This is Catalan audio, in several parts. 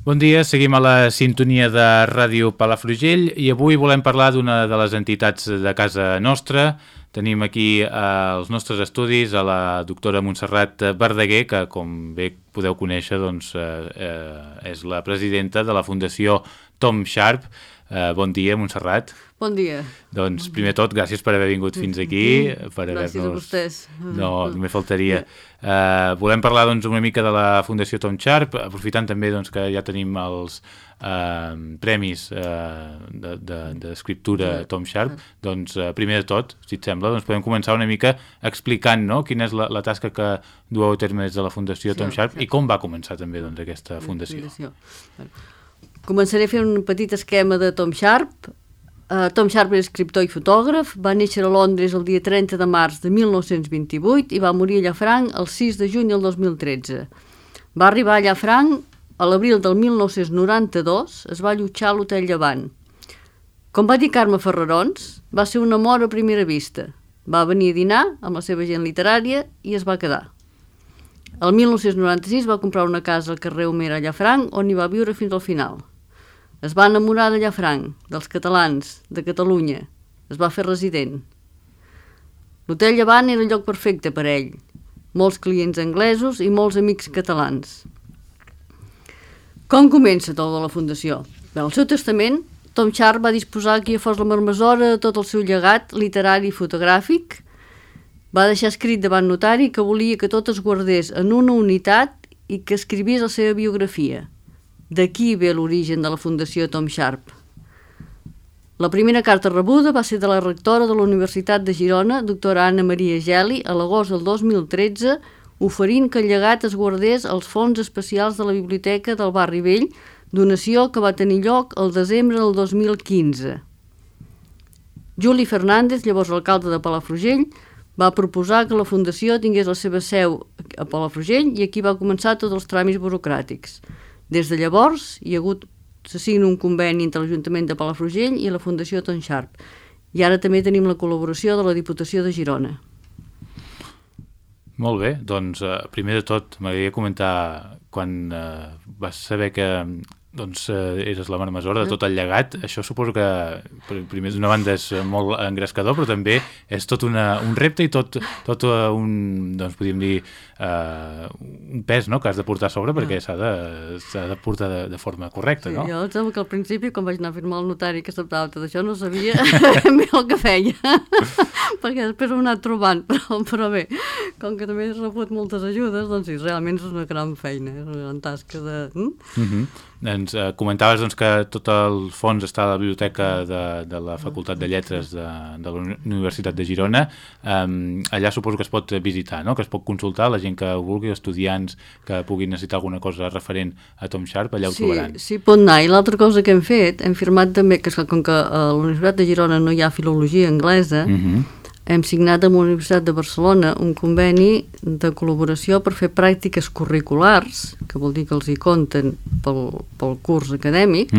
Bon dia, seguim a la sintonia de Ràdio Palafrugell i avui volem parlar d'una de les entitats de casa nostra. Tenim aquí als nostres estudis a la doctora Montserrat Verdaguer, que com bé podeu conèixer doncs, és la presidenta de la Fundació Tom Sharp. Bon dia, Montserrat. Bon dia. Doncs primer de tot, gràcies per haver vingut fins aquí. Gràcies a vostès. No, només faltaria. Volem parlar doncs, una mica de la Fundació Tom Sharp, aprofitant també doncs, que ja tenim els premis d'escriptura Tom Sharp. Doncs primer de tot, si et sembla, doncs podem començar una mica explicant, no?, quina és la tasca que dueu a terme des de la Fundació Tom Sharp i com va començar també doncs, aquesta fundació. Començaré fent un petit esquema de Tom Sharp. Tom Sharp era escriptor i fotògraf, va néixer a Londres el dia 30 de març de 1928 i va morir a Llafranc el 6 de juny del 2013. Va arribar a Llafranc a l'abril del 1992, es va allotjar a l'Hotel Llevant. Com va dir Carme Ferrarons, va ser un amor a primera vista. Va venir a dinar amb la seva gent literària i es va quedar. El 1996 va comprar una casa al carrer Homer a Llafranc on hi va viure fins al final. Es va enamorar de Llafranc, dels catalans, de Catalunya. Es va fer resident. L'Hotel Llevant era el lloc perfecte per a ell. Molts clients anglesos i molts amics catalans. Com comença tot de la Fundació? Bé, al seu testament, Tom Sharp va disposar que hi fos la marmesora de tot el seu llegat literari i fotogràfic. Va deixar escrit davant notari que volia que tot es guardés en una unitat i que escrivís la seva biografia. D'aquí ve l'origen de la Fundació Tom Sharp. La primera carta rebuda va ser de la rectora de la Universitat de Girona, doctora Anna Maria Geli, a l'agost del 2013, oferint que el llegat es guardés als fons especials de la Biblioteca del Barri Vell, donació que va tenir lloc el desembre del 2015. Juli Fernández, llavors alcalde de Palafrugell, va proposar que la Fundació tingués la seva seu a Palafrugell i aquí va començar tots els tràmits burocràtics. Des de llavors se signa un conveni entre l'Ajuntament de Palafrugell i la Fundació Tom Sharp. I ara també tenim la col·laboració de la Diputació de Girona. Molt bé, doncs primer de tot m'agradaria comentar quan vas saber que eres la marmesora de tot el llegat. Això suposo que primer d'una banda és molt engrescador, però també és tot un repte i tot un, doncs podríem dir, un pes, no?, que has de portar a sobre perquè s'ha de portar de forma correcta, no? Jo em sembla que al principi, quan vaig anar a firmar al notari que acceptava tot això, no sabia bé el que feia, perquè després ho he anat trobant, però bé, com que també he rebut moltes ajudes, doncs sí, realment és una gran feina, és una gran tasca de... Ens comentaves doncs, que tot el fons està a la biblioteca de la Facultat de Lletres de la Universitat de Girona. Allà suposo que es pot visitar, no?, que es pot consultar la gent que vulgui, estudiants que puguin necessitar alguna cosa referent a Tom Sharp, allà ho trobaran. Sí, pot anar. I l'altra cosa que hem fet, hem firmat també, que com que a la Universitat de Girona no hi ha filologia anglesa, hem signat amb la Universitat de Barcelona un conveni de col·laboració per fer pràctiques curriculars, que vol dir que els hi compten pel curs acadèmic,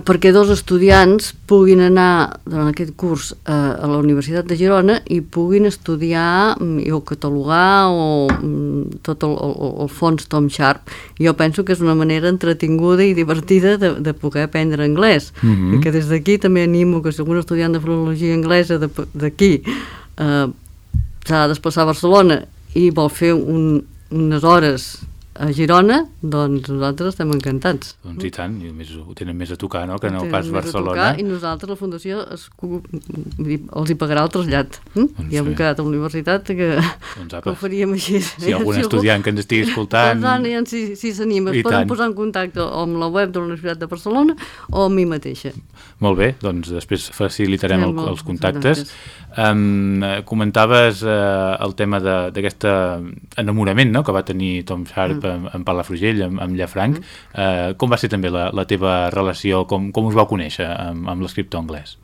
perquè dos estudiants puguin anar durant aquest curs a la Universitat de Girona i puguin estudiar o catalogar tot el fons Tom Sharp. Jo penso que és una manera entretinguda i divertida de poder aprendre anglès. I que des d'aquí també animo que si algun estudiant de filologia anglesa d'aquí s'ha de desplaçar a Barcelona i vol fer unes hores a Girona, doncs nosaltres estem encantats. Doncs i tant, i ho tenen més a tocar, no?, que no pas Barcelona. I nosaltres, la Fundació, els hi pagarà el trasllat. I hem quedat a la universitat que ho faríem així. Si hi ha algun estudiant que ens estigui escoltant... Si s'anima, es poden posar en contacte amb la web de la Universitat de Barcelona o amb mi mateixa. Molt bé, doncs després facilitarem els contactes. Comentaves el tema d'aquest enamorament, no?, que va tenir Tom Sharp en Palafrugell, amb Llafranc. Com va ser també la teva relació, com us vau conèixer amb l'escriptor anglès?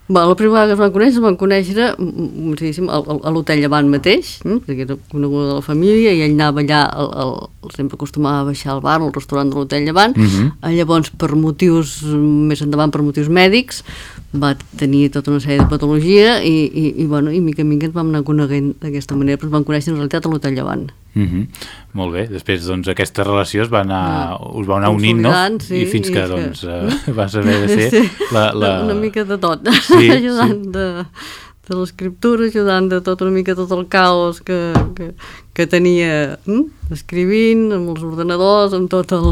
La primera vegada que es van conèixer a l'Hotel Llevant mateix, perquè era coneguda de la família, i ell anava allà, sempre acostumava a baixar al bar, al restaurant de l'Hotel Llevant. Llavors, per motius, més endavant per motius mèdics, va tenir tota una sèrie de patologia i mica en mica ens vam anar coneguent d'aquesta manera, però ens vam conèixer en realitat a l'Hotel Llevant. Molt bé, després doncs aquesta relació us va anar unint, no? Sí, i fins que doncs va saber de ser una mica de tot, sí, ajudant de l'escriptura, ajudant de tot una mica tot el caos que tenia escrivint, amb els ordenadors, amb tot el...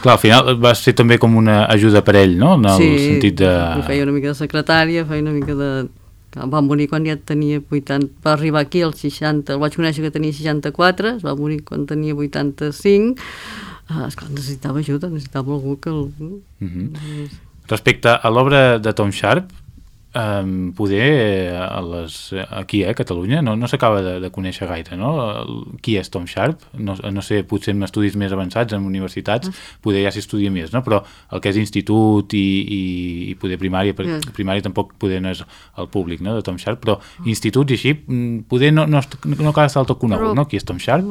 Clar, al final va ser també com una ajuda per ell, no? En el sentit de... Sí, feia una mica de secretària, feia una mica de... Va morir quan ja tenia 80... Va arribar aquí als 60... El vaig conèixer que tenia 64, es va morir quan tenia 85. Esclar, necessitava ajuda, necessitava algú que... Respecte a l'obra de Tom Sharp, poder aquí a Catalunya no s'acaba de conèixer gaire, no? Qui és Tom Sharp? No sé, potser en estudis més avançats, en universitats, poder ja s'hi estudia més, no? Però el que és institut i poder primària, primària tampoc poder no és el públic, no?, de Tom Sharp, però instituts i així, poder no cal estar del tot conegut, no? Qui és Tom Sharp?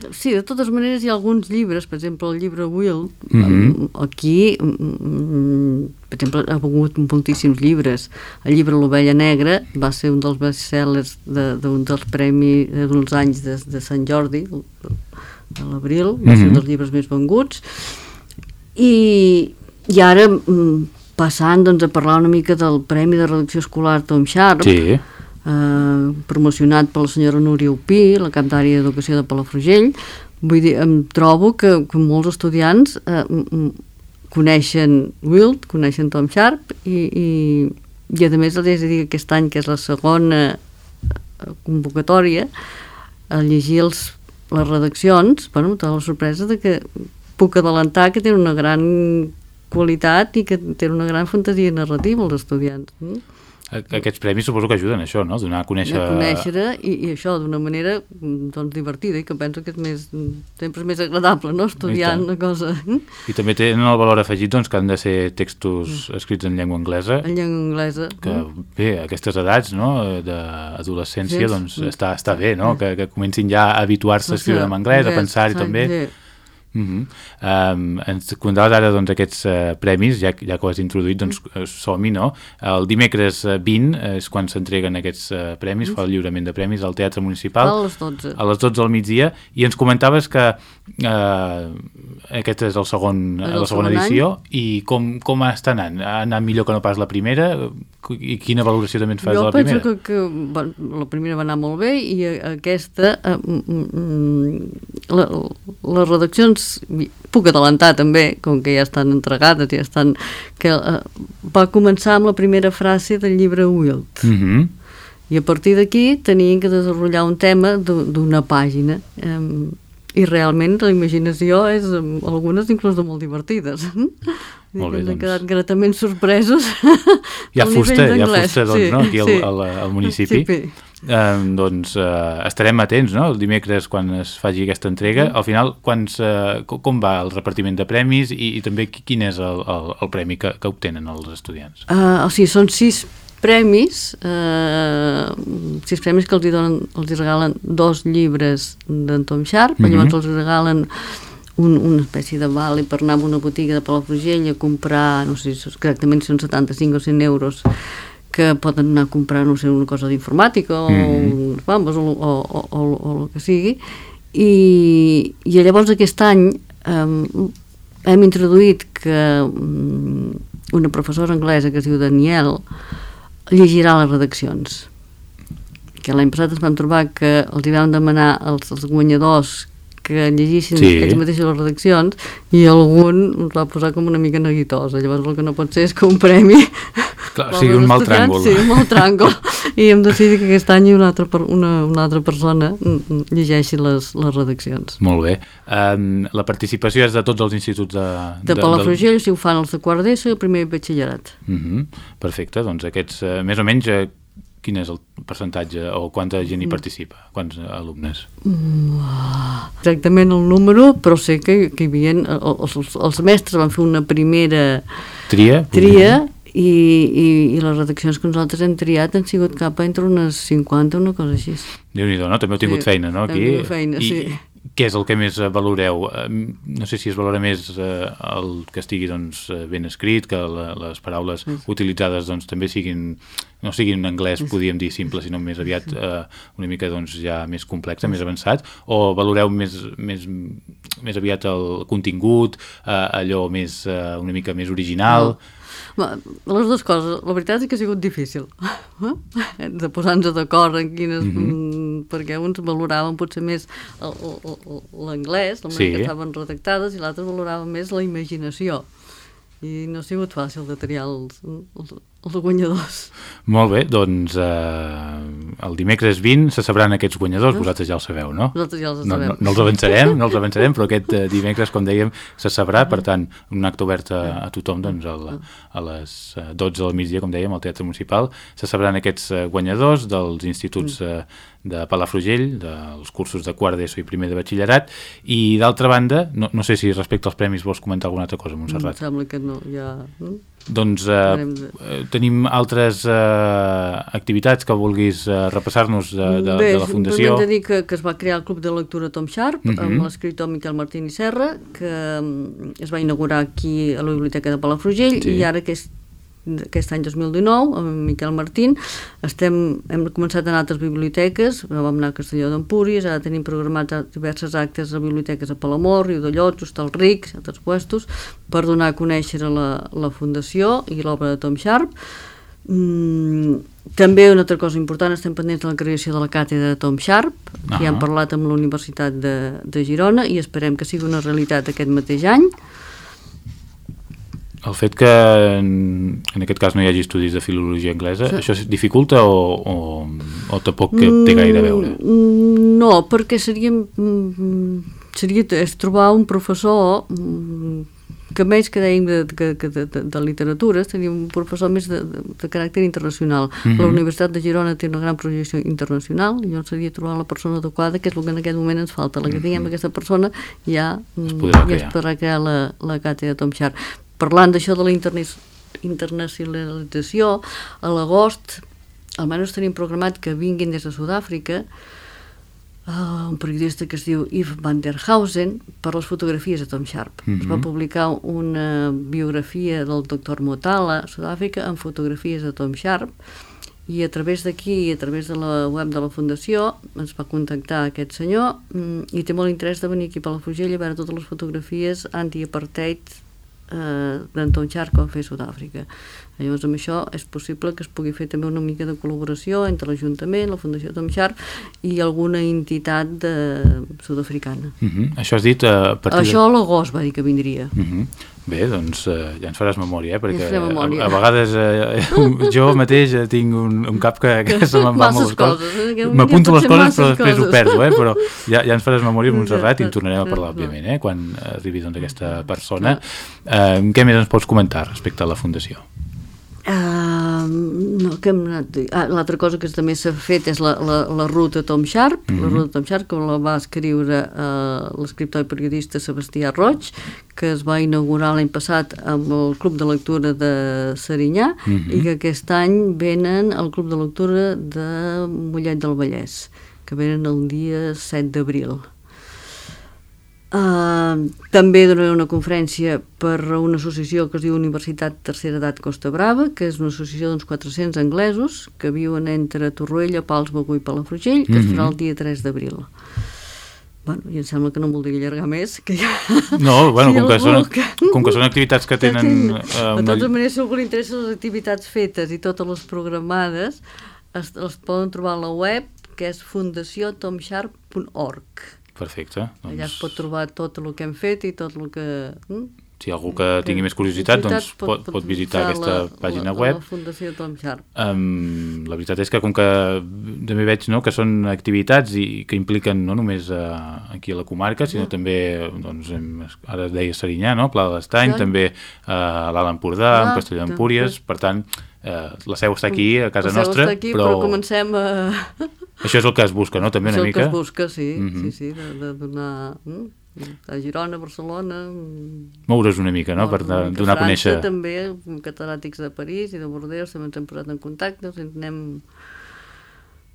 Sí, de totes maneres hi ha alguns llibres, per exemple el llibre Will, aquí, per exemple, ha hagut moltíssims llibres. El llibre L'Ovella Negra va ser un dels bestsellers d'un dels premis d'uns anys de Sant Jordi, de l'abril, va ser un dels llibres més venguts. I ara, passant doncs, a parlar una mica del Premi de Redacció Escolar Tom Sharp, promocionat per la senyora Núria Upí, la cap d'àrea d'Educació de Palafrugell, vull dir, em trobo que molts estudiants coneixen Wild, coneixen Tom Sharp i a més els he de dir que aquest any, que és la segona convocatòria, a llegir les redaccions, bueno, tota la sorpresa de que puc adelantar que tenen una gran qualitat i que tenen una gran fantasia narrativa els estudiants. Aquests premis suposo que ajuden a això, no? Donar a conèixer... I això d'una manera doncs, divertida i que penso que sempre és més agradable, no?, estudiar una cosa... I també tenen el valor afegit doncs, que han de ser textos escrits en llengua anglesa. En llengua anglesa. Que bé, a aquestes edats, no?, d'adolescència, doncs està bé, no?, que comencin ja a habituar-se a escriure en anglès, a pensar-hi també. Ens comentaves ara doncs, aquests premis, ja que ho has introduït, doncs som-hi, no? El dimecres 20 és quan s'entreguen aquests premis, fa el lliurament de premis al Teatre Municipal a les 12 del migdia, i ens comentaves que aquest és la segona edició any. I com està anant? Ha anat millor que no pas la primera? I quina valoració també et fas de la primera? Jo penso que la primera va anar molt bé i aquesta les redaccions puc adelantar també, com que ja estan entregades, ja estan, que va començar amb la primera frase del llibre Wild. I a partir d'aquí tenien que desenvolupar un tema d'una pàgina. I realment la imaginació és, algunes inclús molt divertides. Molt bé, doncs. Han quedat gratament sorpresos. Hi ha fusta, doncs, no? Aquí al municipi. Doncs estarem atents, no?, el dimecres quan es faci aquesta entrega. Al final, com va el repartiment de premis i també quin és el premi que obtenen els estudiants? O sigui, són 6 premis, 6 premis que els regalen 2 llibres d'en Tom Sharp, llavors els regalen una espècie de vale per anar a una botiga de Palafrugell a comprar, no sé si exactament són 75 o 100 euros, que poden anar a comprar, no sé, una cosa d'informàtica o el que sigui. I llavors aquest any hem introduït que una professora anglesa que es diu Daniel llegirà les redaccions, que l'any passat ens vam trobar que els hi vam demanar als guanyadors que llegissin ells mateixos les redaccions i algun ens va posar com una mica neguitosa. Llavors el que no pot ser és que un premi sigui un mal tràngol. Sí, un mal tràngol. I hem decidit que aquest any una altra persona llegeixi les redaccions. Molt bé. La participació és de tots els instituts de Palafrugell, si ho fan els de quart d'ESO i el primer batxillerat. Perfecte, doncs aquests, més o menys, quin és el percentatge o quanta gent hi participa? Quants alumnes? Exactament el número, però sé que hi havia... Els mestres van fer una primera tria i les redaccions que nosaltres hem triat han sigut cap entre unes 50, una cosa així. Déu-n'hi-do, no? També heu tingut feina, no? Aquí. Feina, sí. què és el que més valoreu? No sé si es valora més el que estigui doncs, ben escrit, que les paraules utilitzades doncs, també no siguin en anglès, podríem dir simple, sinó més aviat una mica doncs, ja més complex, més avançat, o valoreu més aviat el contingut, allò una mica més original? Les dues coses. La veritat és que ha sigut difícil de posar-nos d'acord en quines... perquè uns valoraven potser més l'anglès, la manera que estaven redactades, i l'altre valorava més la imaginació. I no ha sigut fàcil de triar els guanyadors. Molt bé, doncs el dimecres 20 se sabran aquests guanyadors, vosaltres ja el sabeu, no? Nosaltres ja els sabem. No els avançarem, però aquest dimecres, com dèiem, se sabrà, per tant, un acte obert a tothom, doncs a les 12 del migdia, com dèiem, al Teatre Municipal, se sabran aquests guanyadors dels instituts de Palafrugell, dels cursos de quart d'ESO i primer de batxillerat, i d'altra banda, no sé si respecte als premis vols comentar alguna altra cosa, Montserrat. Em sembla que no, ja... Doncs tenim altres activitats que vulguis repassar-nos de la Fundació. Bé, hem de dir que es va crear el Club de Lectura Tom Sharp amb l'escriptor Miquel Martín i Serra, que es va inaugurar aquí a la Biblioteca de Palafrugell, i ara aquest any 2019, amb Miquel Martín, hem començat a anar a altres biblioteques, vam anar a Castelló d'Empúries, ara tenim programats diversos actes a biblioteques a Palamor, Riudellots, Hostalric, altres puestos, per donar a conèixer la Fundació i l'obra de Tom Sharp. També una altra cosa important, estem pendents de la creació de la càtedra de Tom Sharp, que ja hem parlat amb la Universitat de Girona i esperem que sigui una realitat aquest mateix any. El fet que en aquest cas no hi hagi estudis de filologia anglesa, això dificulta o tampoc té gaire a veure? No, perquè seria trobar un professor que més que dèiem de literatura, seria un professor més de caràcter internacional. La Universitat de Girona té una gran projecció internacional i llavors seria trobar la persona adequada, que és el que en aquest moment ens falta. La que tinguem aquesta persona ja es podrà crear la càtedra de Tom Sharp. Parlant d'això de la internacionalització, a l'agost almenys tenim programat que vinguin des de Sud-àfrica un periodista que es diu Yves van der Hausen per les fotografies de Tom Sharp. Es va publicar una biografia del doctor Motala a Sud-àfrica amb fotografies de Tom Sharp, i a través d'aquí, a través de la web de la Fundació, ens va contactar aquest senyor i té molt interès de venir aquí a Palafrugell a veure totes les fotografies anti-apartheid d'en Tom Sharp que va fer a Sud-àfrica. Llavors amb això és possible que es pugui fer també una mica de col·laboració entre l'Ajuntament, la Fundació Tom Sharp i alguna entitat sud-africana. Això has dit a partir Això a l'agost va dir que vindria. Bé, doncs ja ens faràs memòria, perquè a vegades jo mateix tinc un cap que se me'n va moltes coses. M'apunto les coses però després ho perdo, però ja ens faràs memòria, Montserrat, i en tornarem a parlar, òbviament, quan arribi aquesta persona. Què més ens pots comentar respecte a la Fundació? L'altra cosa que també s'ha fet és la ruta Tom Sharp, la ruta Tom Sharp, que la va escriure l'escriptor i periodista Sebastià Roig, que es va inaugurar l'any passat amb el Club de Lectura de Serinyà i que aquest any venen al Club de Lectura de Mollet del Vallès, que venen el dia 7 d'abril. També donaré una conferència per una associació que es diu Universitat Tercera Edat Costa Brava, que és una associació d'uns 400 anglesos que viuen entre Torroella, Pals, Begur i Palafrugell, que es farà el dia 3 d'abril. I em sembla que no em voldria allargar més, que ja... No, com que són activitats que tenen... De totes maneres, si algú li interessa les activitats fetes i totes les programades, les poden trobar a la web, que és fundaciotomsharp.org. Perfecte. Allà es pot trobar tot el que hem fet i tot el que... Si algú que tingui més curiositat, doncs pot visitar aquesta pàgina web. La Fundació Tom Sharp. La veritat és que com que també veig que són activitats que impliquen no només aquí a la comarca, sinó també, ara deia Serinyà, Pla de l'Estany, també a l'Alt Empordà, en Castelló d'Empúries, per tant, la seu està aquí, a casa nostra, però comencem a... Això és el que es busca, no? També una mica? Això és el que es busca, sí, de donar... a Girona, Barcelona... Moure's una mica, no?, per donar a conèixer... França també, catedràtics de París i de Bordeus també ens hem posat en contacte, anem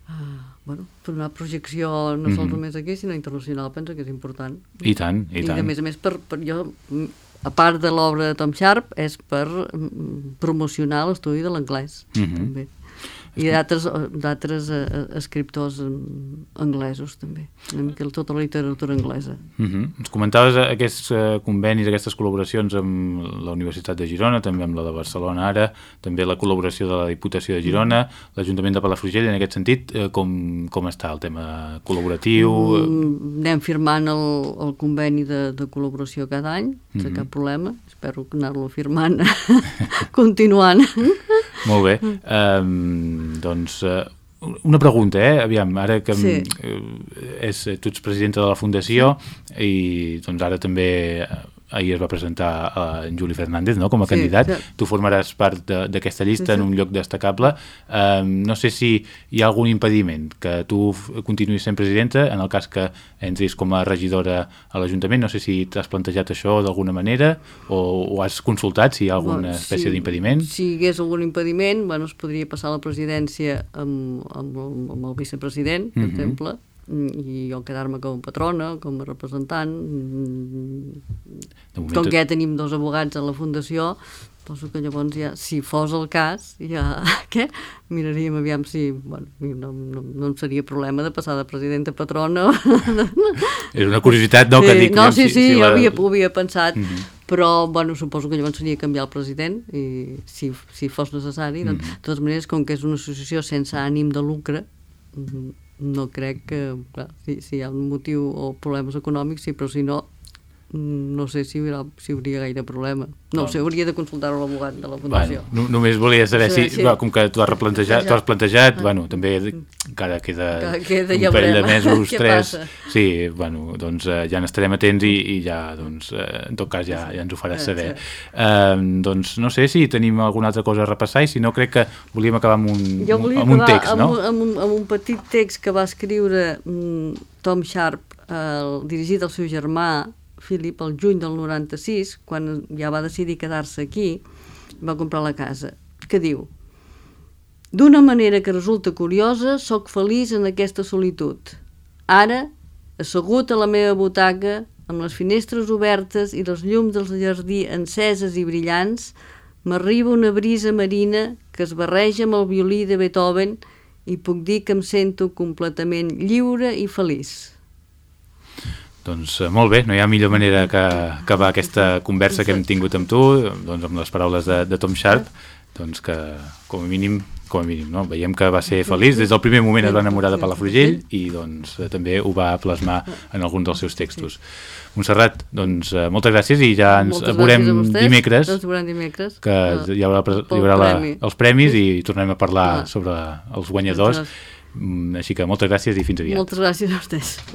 per una projecció no sols només aquí, sinó internacional, penso que és important. I tant, i tant. I a més, per jo, a part de l'obra de Tom Sharp, és per promocionar l'estudi de l'anglès, també. I d'altres escriptors anglesos, també. Una mica tota la literatura anglesa. Ens comentaves aquests convenis, aquestes col·laboracions amb la Universitat de Girona, també amb la de Barcelona ara, també la col·laboració de la Diputació de Girona, l'Ajuntament de Palafrugell, en aquest sentit, com està el tema col·laboratiu? Anem firmant el conveni de col·laboració cada any, sense cap problema. Espero anar-lo firmant, continuant. Molt bé. Doncs una pregunta, aviam, ara que sí. Tu ets presidenta de la Fundació i doncs ara també ahir es va presentar en Juli Fernández, no?, com a candidat. Sí. Tu formaràs part d'aquesta llista en un lloc destacable. No sé si hi ha algun impediment que tu continuïs sent presidenta en el cas que entris com a regidora a l'Ajuntament. No sé si t'has plantejat això d'alguna manera o has consultat si hi ha alguna espècie d'impediment. Si hi hagués algun impediment, es podria passar la presidència amb el vicepresident, per exemple, i jo quedar-me com a patrona, com a representant. Com que ja tenim 2 advocats a la Fundació, penso que llavors ja, si fos el cas, ja miraríem aviam si no em seria problema de passar de presidenta a patrona. És una curiositat, no? Que dic, no, sí, jo ho havia pensat, però suposo que llavors seria canviar el president i si fos necessari. De totes maneres, com que és una associació sense ànim de lucre, no crec que, clar, si hi ha un motiu o problemes econòmics, sí, però si no, no sé si hi hauria gaire problema. No ho sé, hauria de consultar-ho l'advocat de la Fundació. Només volia saber si, com que tu has plantejat, també encara queda un parell de mesos, 3. Sí, doncs ja n'estarem atents i ja, doncs, en tot cas ja ens ho faràs saber. Doncs no sé si tenim alguna altra cosa a repassar i si no crec que volíem acabar amb un text, no? Amb un petit text que va escriure Tom Sharp, dirigit al seu germà Philip, el juny del 96, quan ja va decidir quedar-se aquí, va comprar la casa, que diu: d'una manera que resulta curiosa, sóc feliç en aquesta solitud. Ara, assegut a la meva butaca, amb les finestres obertes i les llums del jardí enceses i brillants, m'arriba una brisa marina que es barreja amb el violí de Beethoven i puc dir que em sento completament lliure i feliç. Doncs molt bé, no hi ha millor manera que acabar aquesta conversa que hem tingut amb tu, doncs amb les paraules de Tom Sharp, doncs que com a mínim, no? Veiem que va ser feliç, des del primer moment es va enamorar de Palafrugell i doncs també ho va plasmar en alguns dels seus textos. Montserrat, doncs moltes gràcies i ja ens veurem dimecres, que hi haurà els premis i tornem a parlar sobre els guanyadors, així que moltes gràcies i fins aviat. Moltes gràcies a vostès.